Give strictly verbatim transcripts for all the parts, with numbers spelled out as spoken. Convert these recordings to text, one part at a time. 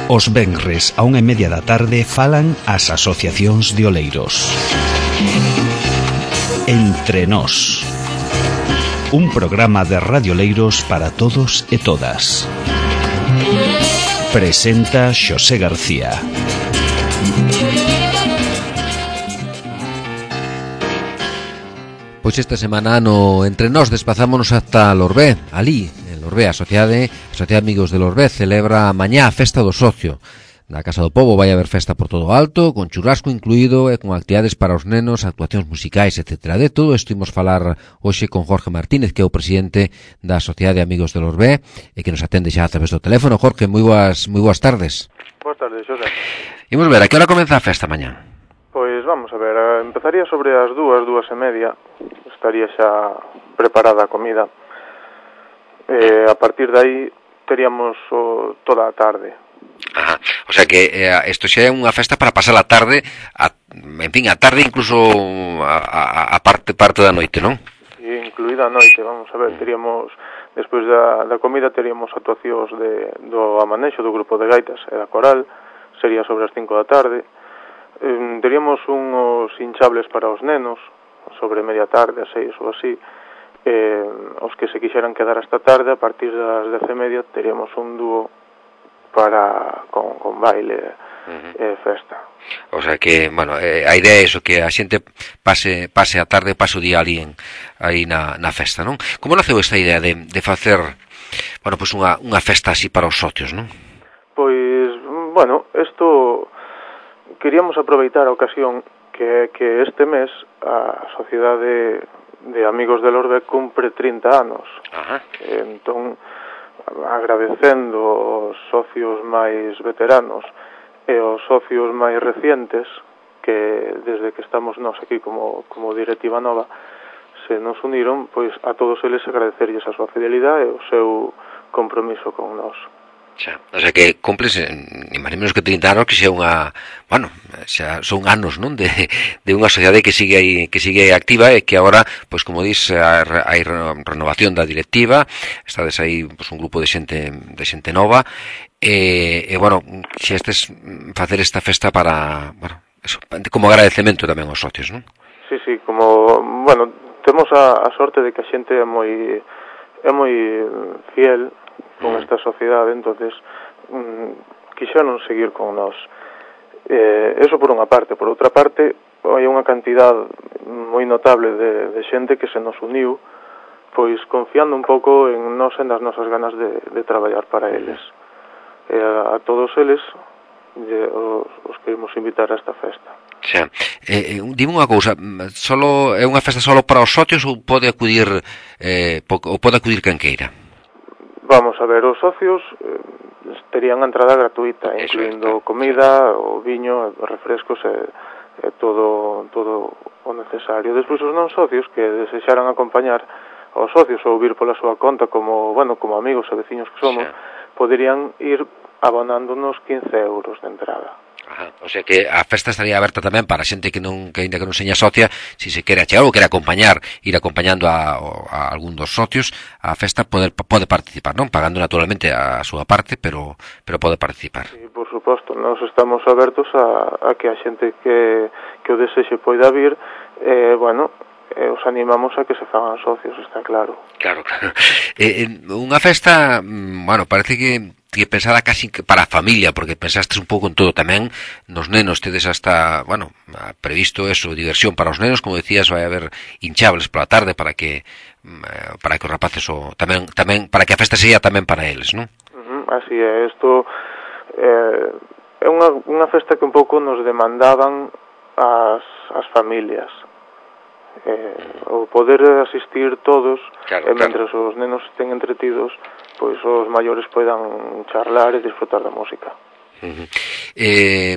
Os venres a unha e media da tarde falan as asociacións de oleiros. Entre nós. Un programa de radioleiros para todos e todas. Presenta Xosé García. Pois esta semana no Entre Nós desplazámonos ata Lorbé, ali, en Lorbé, a Sociedade, a Sociedade Amigos de Lorbé celebra mañá a Festa do Socio. Na Casa do Pobo vai haber festa por todo o alto, con churrasco incluído e con actividades para os nenos, actuacións musicais, etcétera. De todo isto imos falar hoxe con Jorge Martínez, que é o presidente da Sociedade Amigos de Lorbé e que nos atende xa a través do teléfono. Jorge, moi boas, moi boas tardes. Boas tardes, Xosé. Imos ver, a que hora comeza a festa mañá? Pois vamos a ver, empezaría sobre as dúas, dúas e media, estaría xa preparada a comida. Eh, a partir de aí teríamos o, toda a tarde. Ajá. O sea que eh, isto xa é unha festa para pasar a tarde, a, en fin, a tarde incluso a, a, a parte parte da noite, non? E incluída a noite, vamos a ver, teríamos, despois da, da comida teríamos actuacións de, do amanexo do grupo de gaitas e da coral, sería sobre as cinco da tarde. Eh, teríamos uns hinchables para os nenos, sobre media tarde, a seis ou así. Eh, os que se quixeran quedar hasta tarde, a partir das dez e media, teríamos un dúo para con, con baile e uh-huh. festa. O sea que, bueno, eh, a idea é iso, que a xente pase pase a tarde, pase o día ali en, aí na, na festa, non? Como naceu esta idea de, de facer, bueno, pois pues unha, unha festa así para os socios, non? Pois, bueno, isto queríamos aproveitar a ocasión que, que este mes a Sociedade de Amigos de Lorbé cumpre trinta anos. Ajá. Entón, agradecendo aos socios máis veteranos e aos socios máis recientes, que desde que estamos nós aquí como, como directiva nova, se nos uniron, pois a todos eles agradecerlles a súa fidelidade e o seu compromiso con nós. Xa, o sea que cumples, ni máis menos que trinta anos, que xa unha, bueno, xa son anos, non, de, de unha sociedade que sigue aí, que sigue activa e que agora, pois como dis, hai renovación da directiva, estades aí, pois un grupo de xente, de xente nova, e, e bueno, xa estes facer esta festa para, bueno, eso, como agradecemento tamén aos socios, non? Sí, sí, como, bueno, temos a, a sorte de que a xente é moi, é moi fiel con esta sociedade, entonces mm, quixeron seguir con nós. Eh, eso por unha parte. Por outra parte, hai unha cantidad moi notable de, de xente que se nos uniu, pois confiando un pouco en nós e nas nosas ganas de, de traballar para eles. E a, a todos eles de, os, os queremos invitar a esta festa. Xa, eh, dime unha cousa, solo é unha festa solo para os socios ou pode acudir eh, ou pode acudir quen queira? Vamos a ver, os socios eh, terían a entrada gratuita, incluindo comida, o viño, refrescos e, e todo todo o necesario. Despois os non socios que desexaran acompañar aos socios ou vir pola súa conta como, bueno, como amigos e veciños que somos, sí, poderían ir abonándonos quince euros de entrada. Ajá. O sea que a festa estaría aberta tamén para xente que non que ainda que non seña socia, se se quere achegar ou quere acompañar, ir acompañando a, a algún dos socios, a festa pode pode participar, non? Pagando naturalmente a súa parte, pero pero pode participar. Sí, por suposto, nós estamos abertos a, a que a xente que que o desexe poida vir, eh, bueno, eh, os animamos a que se fagan socios, está claro. Claro, claro. Eh, unha festa, bueno, parece que que pensada casi para a familia, porque pensastes un pouco en todo tamén, nos nenos tedes hasta, bueno, previsto eso, diversión para os nenos, como decías, vai haber hinchables pola tarde para que para que os rapaces o tamén tamén para que a festa sexa tamén para eles, non? Uh-huh, así é, isto eh, é unha unha festa que un pouco nos demandaban as as familias. Eh, o poder asistir todos, claro, e mentre claro. Os nenos estén entretidos, pois os maiores poidan charlar e disfrutar da música. Uh-huh. Eh,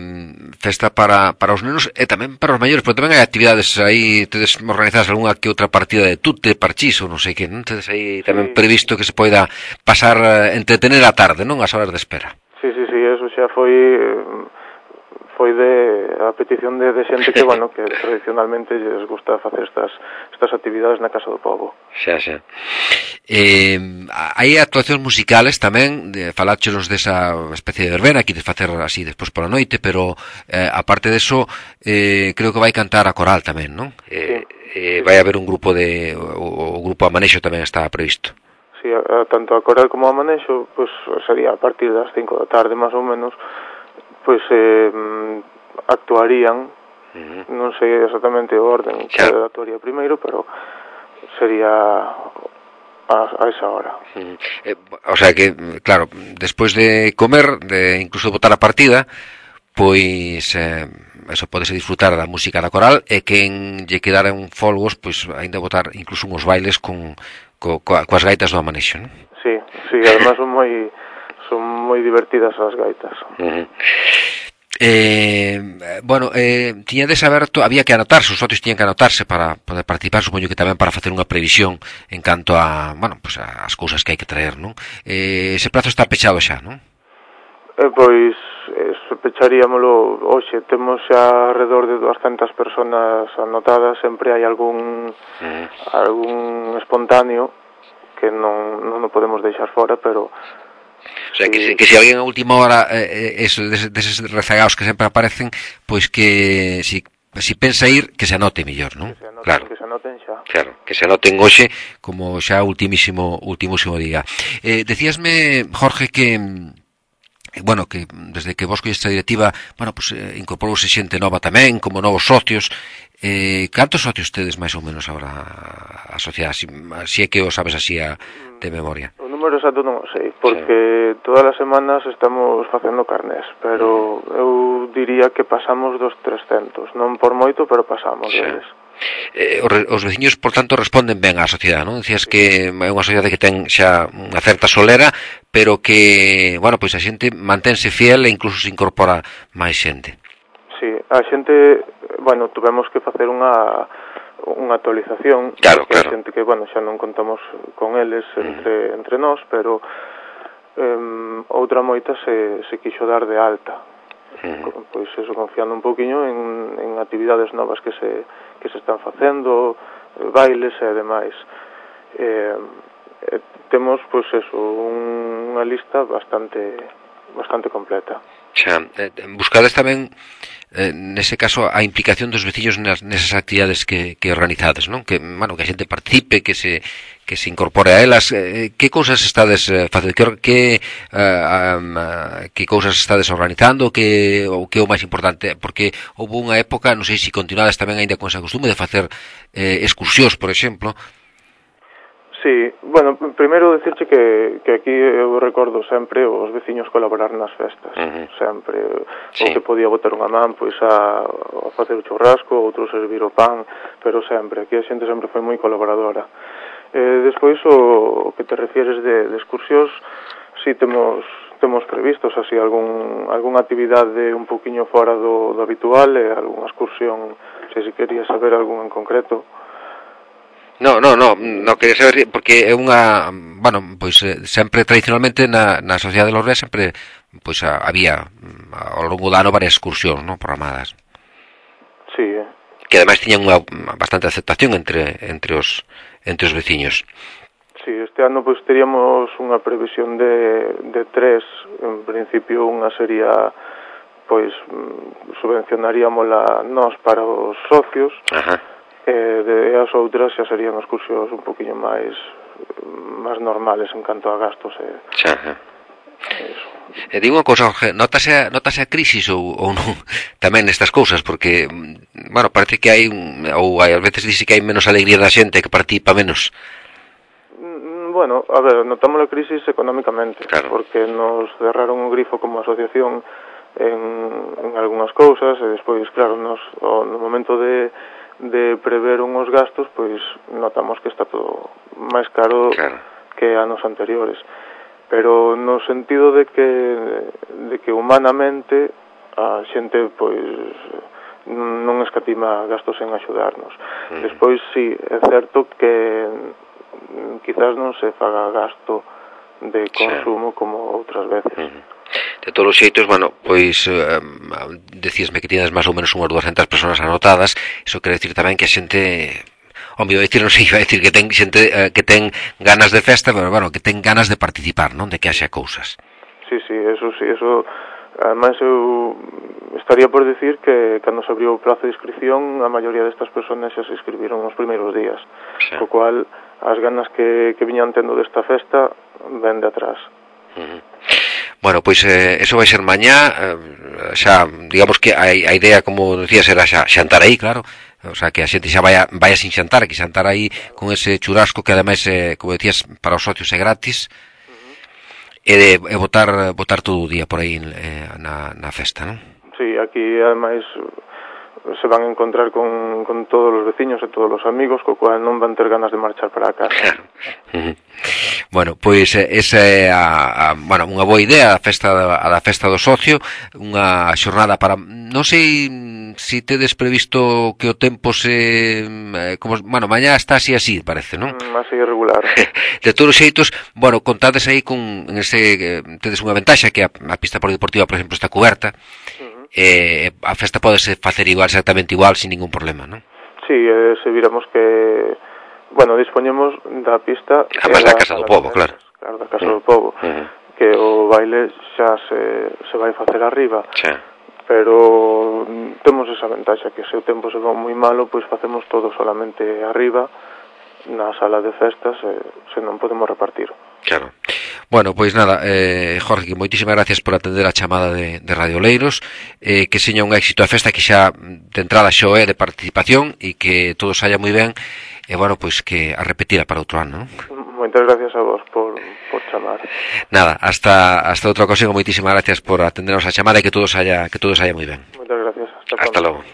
festa para, para os nenos e tamén para os maiores, pero tamén hai actividades aí, tedes organizadas algunha que outra partida de tute, parchís ou non sei que, non tedes aí tamén sí. Previsto que se poida pasar, entretener a tarde, non? As horas de espera. Sí, sí, sí, eso xa foi foi de a petición de, de xente que, bueno, que tradicionalmente lles gusta facer estas estas actividades na Casa do Pobo. Xa, xa. Eh, hai actuacións musicales tamén, de, faláchenos desa especie de verbena que de facer así despois pola noite, pero eh, aparte deso, eh, creo que vai cantar a coral tamén, non? Eh, sí. eh, vai haber un grupo de o, o grupo Amanexo tamén está previsto. Sí, a, a, tanto a coral como a Amanexo, pues sería a partir das cinco da tarde, máis ou menos, pois eh, actuarían, uh-huh. non sei exactamente o orden que claro. actuaría primeiro, pero sería a, a esa hora. Uh-huh. Eh, o sea que, claro, despois de comer, de incluso de botar a partida, pois eh, eso podese disfrutar da música da coral e quen lle quedaran folgos, pois aínda botar incluso uns bailes con, co, co, coas gaitas do Amanexo, non? Sí, sí, además son moi son moi divertidas as gaitas. Uh-huh. Eh, bueno, eh, tiña de saber, había que anotarse, os socios tiñan que anotarse para poder participar, supoño que tamén para facer unha previsión en canto a, bueno, pues as cousas que hai que traer, non? Eh, ese prazo está pechado xa, non? Eh, pois, eh, pecharíamolo hoxe, temos xa alrededor de doscientas personas anotadas, sempre hai algún uh-huh. algún espontáneo que non, non o podemos deixar fora, pero o sea, que, que se alguén a última hora eh, eso, deses, deses rezagados que sempre aparecen, pois que si, si pensa ir, que se anote mellor, non? Que se anoten, claro. Que se anoten xa. Claro, que se anoten hoxe como xa ultimísimo ultimísimo día. Eh, decíasme, Jorge, que bueno, que desde que vos colleste a directiva, bueno, pues eh, incorporouse xente nova tamén, como novos socios. Eh, cantos socios tedes máis ou menos agora a sociedade? Si, si é que o sabes así a, de memoria. O número exacto non o sei, porque sí. Todas as semanas estamos facendo carnés, pero uh-huh. eu diría que pasamos dos trescentos, non por moito, pero pasamos sí. deles. Eh, os veciños, por tanto, responden ben á sociedade, non? Dicías que é unha sociedade que ten xa unha certa solera, pero que, bueno, pois a xente mantense fiel e incluso se incorpora máis xente. Sí, a xente, bueno, tuvemos que facer unha unha actualización, claro, que claro. A xente que, bueno, xa non contamos con eles entre, uh-huh. entre nós, pero um, outra moita se, se quixo dar de alta. Uh-huh. Pois eso, confiando un poquinho en, en actividades novas que se que se están facendo, bailes e demais. Eh, eh, temos, pois eso, un, unha lista bastante bastante completa. Xa, eh, buscades tamén eh, nese caso a implicación dos veciños nas, nesas actividades que, que organizades, non? Que, bueno, que a xente participe, que se que se incorpore a elas. Eh, que cousas estades eh, facendo? Que que, uh, um, uh, que cousas estades organizando? Que ou que é o máis importante? Porque houve unha época, non sei se continuades tamén aínda con esa costume de facer eh, excursións, por exemplo. Sí, bueno, primeiro decirche que, que aquí eu recordo sempre os veciños colaborar nas festas, uh-huh. sempre, sí. O que podía botar unha man, pois a, a facer o churrasco, outro servir o pan, pero sempre, aquí a xente sempre foi moi colaboradora. Eh, despois, o, o que te refieres de, de excursións, si temos temos previstos así algún algunha actividade un poquinho fora do, do habitual, e algunha excursión, se si querías saber algún en concreto. No, no, no, no quería saber, porque é unha, bueno, pois sempre tradicionalmente na, na sociedade de Lorbea sempre pois había ao longo do ano varias excursións, non, programadas. Sí. Que ademais tiñan unha bastante aceptación entre entre os entre os veciños. Sí, este ano pois teríamos unha previsión de de tres, en principio unha sería pois subvencionaríamola nós para os socios. Ajá. E de as outras xa serían excursións un poquinho máis máis normales en canto a gastos e xa. Eso. E digo unha cousa, Jorge, notase, notase a crisis ou, ou non tamén nestas cousas, porque bueno, parece que hai ou hai, ás veces dice que hai menos alegría da xente, que participa menos. Bueno, a ver, notamos a crisis económicamente, claro. Porque nos cerraron o grifo como asociación en, en algunhas cousas e despois, claro, nos, no momento de de prever unhos gastos, pois notamos que está todo máis caro, claro. Que anos anteriores. Pero no sentido de que de que humanamente a xente pois non escatima gastos en axudarnos. Uh-huh. Despois sí, é certo que quizás non se faga gasto de consumo, sí. Como outras veces. Uh-huh. De todos os xeitos, bueno, pois eh, decíasme que tiñas máis ou menos unhas dúascentas persoas anotadas. Iso quere decir tamén que a xente, home, iba a decir, non sei, iba a decir que ten xente eh, que ten ganas de festa, pero bueno, que ten ganas de participar, non? De que haxa cousas. Sí, sí, eso sí, eso. Ademais, eu estaría por decir que cando se abriu o prazo de inscripción, a maioría destas persoas xa se inscribiron nos primeiros días, sí. Co cual as ganas que, que viñan tendo desta festa ven de atrás. Uh-huh. Bueno, pois eh, eso vai ser mañá, eh, xa, digamos que a, a idea, como decías, era xa xantar aí, claro, o sea, que a xente xa vaya, vaya sin xantar, que xantar aí con ese churrasco que ademais, eh, como decías, para os socios é gratis, uh-huh. e, de, e botar, botar todo o día por aí eh, na, na festa, non? Sí, aquí ademais se van a encontrar con, con todos os veciños e todos os amigos, co cual non van ter ganas de marchar para a casa. Claro. Uh-huh. Bueno, pois esa é a, a, bueno, unha boa idea, a festa a da festa do socio, unha xornada para, non sei se si tedes previsto que o tempo se eh, como, bueno, mañá está así así, parece, non? Mm, así irregular. De todos os xeitos, bueno, contades aí con en ese, tedes unha ventaxa que a, a pista polideportiva, por exemplo, está cuberta. Uh-huh. Eh, a festa podese facer igual, exactamente igual, sin ningún problema, non? Sí, eh, se viramos que, bueno, dispoñemos da pista... Además da Casa do Pobo, claro. Claro, da Casa do Pobo, uh-huh. Que o baile xa se, se vai facer arriba. Sí. Pero temos esa ventaxa, que se o tempo se va moi malo, pois facemos todo solamente arriba, na sala de festas, eh, se non podemos repartir. Claro. Bueno, pois nada, eh, Jorge, moitísimas gracias por atender a chamada de, de Radio Leiros, eh, que seña un éxito a festa, que xa de entrada xo é de participación e que todo saia moi ben, e bueno, pois que a repetira para outro ano, non? Moitas gracias a vos por, por chamar. Nada, hasta hasta outra ocasión, moitísimas gracias por atendernos a chamada e que todo saia que todo saia moi ben. Moitas gracias. Hasta, hasta logo.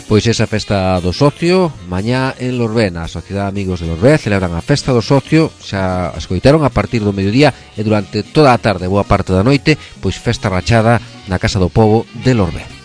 Pois esa festa do socio, mañá en Lorbé, na Sociedade Amigos de Lorbé, celebran a festa do socio, xa escoitaron a partir do mediodía e durante toda a tarde, boa parte da noite, pois festa rachada na Casa do Pobo de Lorbé.